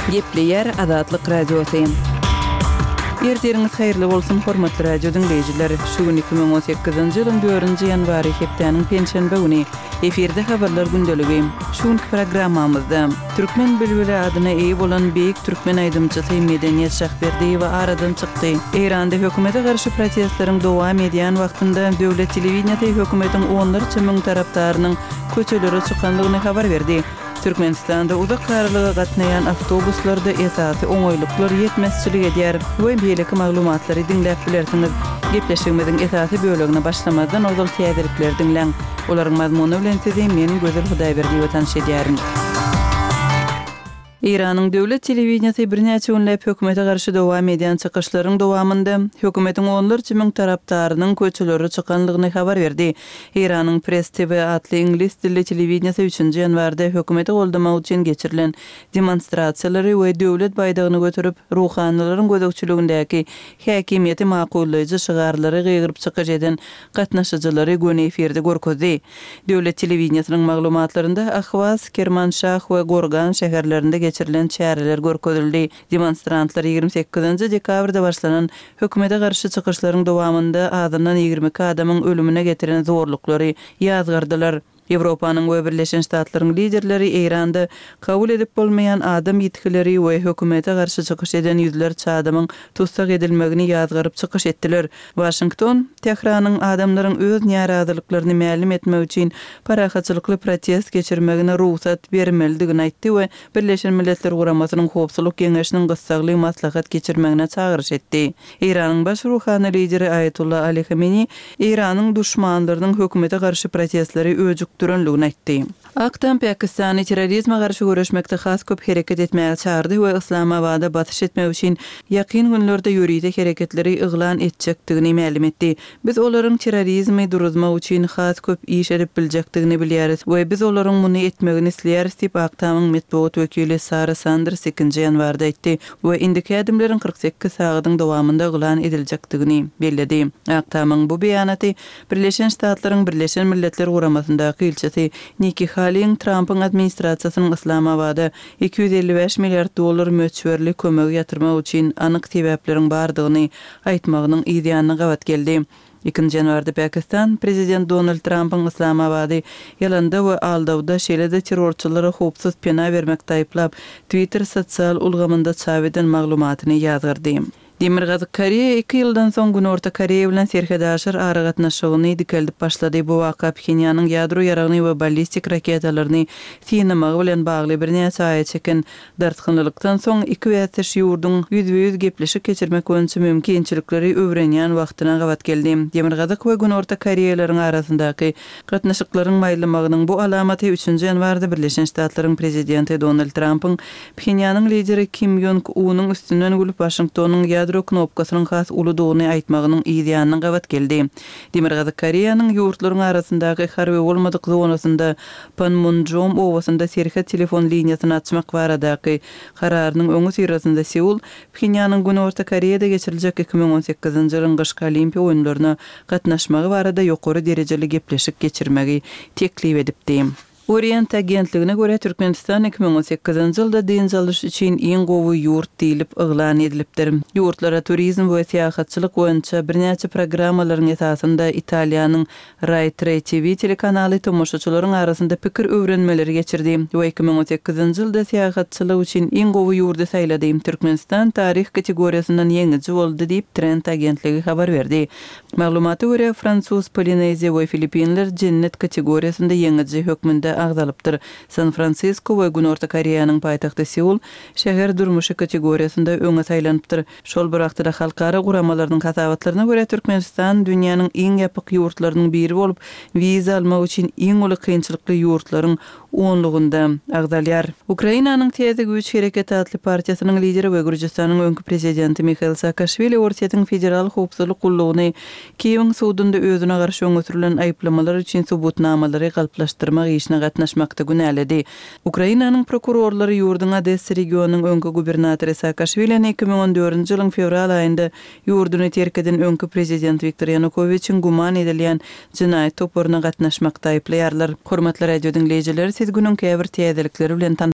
Gepleýär Azatlyk Radiosy. Ertiriňiz haýyrly bolsun, hormatly radio diňleýjiler! Şu gün 2018-nji ýylyň dördünji ýanwary, hepdäniň penşenbe güni. Efirde Habarlar gündeligi. Şu günki programmamyzda, Türkmen bilbili adyna eýe bolan beýik türkmen aýdymçysy Medeniýet Şahberdiýewa aradan çykdy. Eýranda hökümete garşy protestleriň dowam edýän wagtynda döwlet telewideniýesi hökümetiň onlarça müň tarapdarynyň köçelere çykandygyny habar berdi. Türkmenistanda uzak aralyga gatnaýan awtobuslarda esasy oňaýlyklar ýetmezçilik edýär we beýleki maglumatlary diňläp bilersiňiz. Gepleşigimiziň esasy bölegine başlamazdan ozal täzelikleri diňläň. Olaryň mazmuny bilen sizi men Gözel Hudaýberdiýewa tanyş edýärin. Eýranyň döwlet telewideniýesi birnäçe günläp hökümete garşy dowam edýän çykyşlaryň dowamynda, hökümetiň onlarça müň tarapdarynyň köçelere çykanlygyny habar berdi. Eýranyň Press TV atly iňlis dilli telewideniýesi üçünji ýanwarda hökümeti goldamak üçin geçirilen demonstrasiýalary we döwlet baýdagyny göterip, ruhanylaryň gözegçiligindäki häkimiýeti makullaýjy şygarlary gygyryp çykyş eden gatnaşyjylary göni efirde görkezdi. Döwlet telewideniýesiniň maglumatlarynda Ahwaz, Kermanşah we Gorgan şäherlerinde geçirilen çäreler görkezildi. Demonstrantlar 28-nji dekabrda başlanan hökümete garşy çykyşlaryň dowamynda azyndan 22 adamyň ölümine getiren zorluklary ýazgardylar. Ýewropanyň we Birleşen Ştatlaryň liderleri Eýranda kabul edip bolmaýan adam ýitgileri we hökümete garşy çykyş eden ýüzlerçe adamyň tussag edilmegini ýazgaryp çykyş etdiler. Waşington, Tähranyň adamlaryň öz närazylyklaryny mälim etmek üçin parahatçylykly protest geçirmegine rugsat bermelidigini aýtdy we Birleşen Milletler Guramasynyň Howpsuzlyk Geňeşiniň gyssagly maslahat geçirmegine çagyryş etdi. Eýranyň baş ruhany lideri Aýatolla Ali Hameni Eýranyň duşmanlarynyň hökümete garşy protestleri öjükdirenligini aýtdy. Ak Tam Pakistany terrorizme garşy göreşmekde has köp hereket etmäge çagyrdy we Yslamabada basyş etmek üçin ýakyn günlerde ýörite hereketleri yglan etjekdigini mälim etdi. Biz olaryň terrorizmi duruzmak üçin has köp iş edip biljekdigini bilýäris we biz olaryň muny etmegini isleýäris diýip, Ak Tamyň metbugat wekili Sara Sanders ikinji ýanwarda aýtdy we indiki ädimleriň 48 sagadyň dowamynda yglan ediljekdigini belledi. Ak Tamyň bu beýanaty Birleşen Ştatlaryň Birleşen Milletler Guramasyndaky ilçisi Nikki Haliň Trampyň administrasiýasynyň Yslamabada 255 milliard dollar möçberli kömegi ýatyrmak üçin anyk sebäpleriň bardygyny aýtmagynyň yz ýanyna gabat geldi. Ikinji ýanwarda Pakistan prezident Donald Trampyň Yslamabady ýalanda we aldawda, şeýle-de terrorçylara howpsuz pena bermekde aýyplap, Twitter sosial ulgamynda çap eden maglumatyny ýazgardy. Demirgazyk Koreýa iki ýyldan soň Günorta Koreýa bilen serhetaşyr aragatnaşygyny dikeldip başlady. Bu waka Phenýanyň ýadro ýaragyny we ballistik raketalaryny synamagy bilen bagly birnäçe aýa çeken dartgynlylykdan soň iki bäsdeş ýurduň ýüzbe-ýüz gepleşik geçirmek boýunça mümkinçilikleri öwrenýän wagtyna gabat geldi. Demirgazyk we Günorta Koreýalaryň arasyndaky gatnaşyklaryň maýlamagynyň bu alamaty üçünji ýanwarda Birleşen Ştatlaryň prezidenti Donald Trampyň Phenýanyň lideri Kim Ýong Unyň üstünden gülüp, Waşingtonyň ýadro knopkasynyň has uludygyny aýtmagynyň yz ýanyna gabat geldi. Demirgazyk Koreýanyň ýurtlaryň arasyndaky harby bolmadyk zonasynda Panmunjom obasynda serhet telefon liniýasyny açmak baradaky kararynyň öňüsyrasynda Seul Phenýanyň Günorta Koreýada geçiriljek 2018-nji ýylyň gyşky Olimpiýa oýunlaryna gatnaşmagy barada ýokary derejeli gepleşik geçirmegi teklip edipdi. Orient agentligine görä, Türkmenistan 2018-nji ýylda dynç alyş üçin iň gowy ýurt diýlip yglan edilipdir. Ýurtlara turizm we syýahatçylyk boýunça birnäçe programmalaryň esasynda Italiýanyň Rai Tre TV telekanaly tomaşaçylaryň arasynda pikir öwrenmeleri geçirdi we 2018-nji ýylda syýahatçylyk üçin iň gowy ýurdy saýlady. Türkmenistan taryh kategoriýasyndan ýeňiji boldy diýip, Trend agentligi habar berdi. Maglumata görä, fransuz Polineziýa we Filippinler jennet kategoriýasynda ýeňiji hökmünde agzalypdyr. San-Fransisko we Günorta Koreýanyň paýtagty Seul şäher durmuşy kategoriýasynda öňe saýlanypdyr. Şol bir wagtda-da halkara guramalarynyň hasabatlaryna görä, Türkmenistan dünýäniň iň ýapyk ýurtlarynyň biri bolup, wiza almak üçin iň uly kynçylykly ýurtlaryň onlugynda agzalýar. Ukrainanyň Täze güýç hereketi atly partiýasynyň lideri we Gürjüstanyň öňki prezidenti Mihail Saakaşwili Orsýetiň Federal howpsuzlyk gullugyny Kiýewiň sudunda özüne garşy öňe sürlen aýyplamalar üçin subutnamalary galplaşdyrmak işine gatnaşmakda günäledi. Ukrainanyň prokurorlary ýurduň Odessa regionynyň öňki gubernatory Saakaşwilini 2014-nji ýylyň fewral aýynda Ýurduny terk eden öňki prezident Wiktor Ýanukowiçiň güman edilýän jenaýat toparyna gatnaşmakda aýyplaýarlar. Hormatly radio diňleýjiler, siz günüň käbir täzelikleri bilen tanyş.